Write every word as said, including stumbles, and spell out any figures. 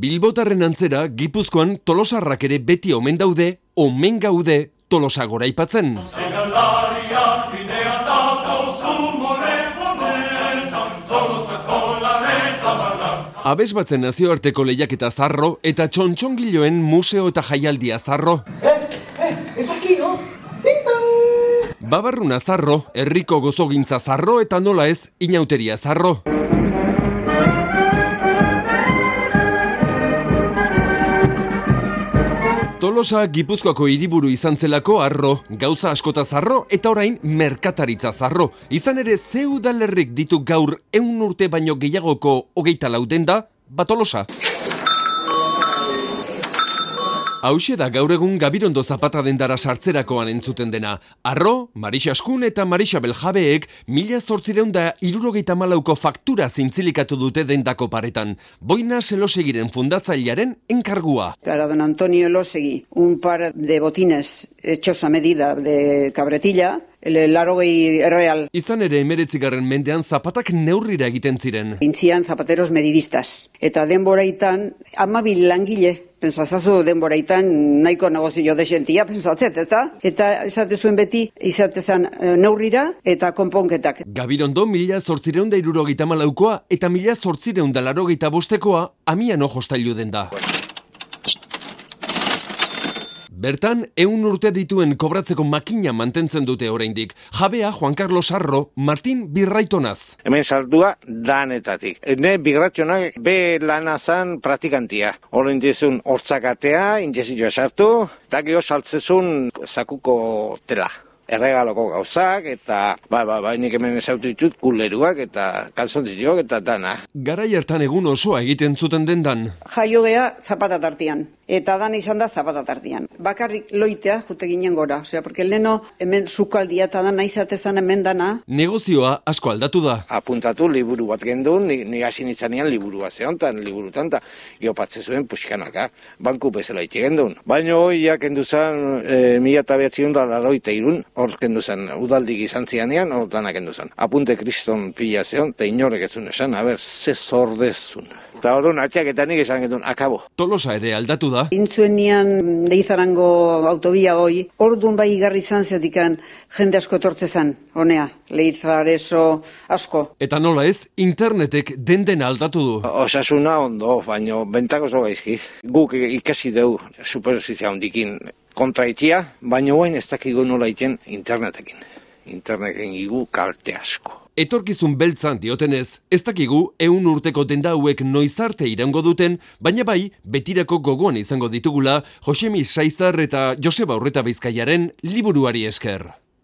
Bilbotarren antzera, Gipuzkoan Tolosarrak ere beti omen daude, omen gaude Tolosa goraipatzen. Abes batzen nazioarteko lehiaketa zarro eta txontxongiloen museo eta jaialdia zarro. Eh, eh, ez aquí, no? Ding-dong! Babarruna zarro, herriko gozogintza zarro eta nola ez, inauteria zarro. Tolosa Gipuzkoako hiriburu izan zelako harro, gauza askota zarro eta orain merkataritza zarro. Izan ere ze udalerrik ditu gaur ehun urte baino gehiagoko hogeita lau denda, ba Tolosa. Hauxe da gaur egun Gabirondo Zapata dendara sartzerakoan entzuten dena. Arro, Marixa Askun eta Marixa Beljabeek mila zortzireun da hirurogeita hamalauko faktura zintzilikatu dute dendako paretan. Boina Elosegiren fundatzailearen enkargua. Para don Antonio Elosegui, un par de botines hechos a medida de cabretilla, el larogei real. Izan ere emeretzigarren mendean zapatak neurrira egiten ziren. Intzian zapateros medidistas. Eta denboraitan, amabil langile, pensazazu denboraitan nahiko negozio desentia, pensatzet, ez da? Eta esate zuen beti, izatezan neurrira eta konponketak. Gabirondo mila zortzireun da hirurogeita hamalaukoa eta mila zortzireun da larogeita bostekoa amiano jostailu den da. Bertan, ehun urte dituen kobratzeko makina mantentzen dute oraindik. Jabea Juan Carlos Arro, Martin Birraitonaz. Hemen saldua danetatik. Ne Birraitonaz be lana zan praktikantia. Horren dizun hortzakatea, injezioa sartu, eta gero saltzezun zakuko tela. Erregaloko gauzak, eta ba, ba, ba, nik hemen ezautu ditut kuleruak, eta kalzontziloak, eta dana. Garai hartan egun osoa egiten zuten dendan. Jaio gea zapata tartian, eta dana izan da zapata tartian. Bakarrik loitea jute ginen gora, osea, porque leno hemen sukaldia eta dana izatezan hemen dana. Negozioa asko aldatu da. Apuntatu liburu bat gendun, ni, ni hasi nitzanean liburua zehontan, liburutan, eta geopatze zuen puxkanaka, banku bezala ite gendun. Baina hoiak enduzan e, mila eta behatzion da laroita irun, hor kendu zen, udaldik izan zianean, hor danak kendu zen. Apunte kriston pila zeon, eta inorek etzun esan, haber, ze zordezun. Eta hor duen, atxak eta nik esan gendun, akabo. Tolosa ere aldatu da. Intzuen nian Leizarango autobia hoi, hor duen bai igarri izan zetikan jende asko etortzezan, honea, Leizareso asko. Eta nola ez, internetek den dena aldatu du. Osasuna ondo, baino, bentako zo gaizki. Guk ikasi dugu, superfizia hondikin, kontraitia, baina guain ez dakigu nola iten internetekin. Internetekin igu kalte asko. Etorkizun beltzan diotenez, ez dakigu ehun urteko denda hauek noiz arte irango duten, baina bai, betirako gogoan izango ditugula Josemi Saizar eta Joseba Urreta Bizkaiaren liburuari esker.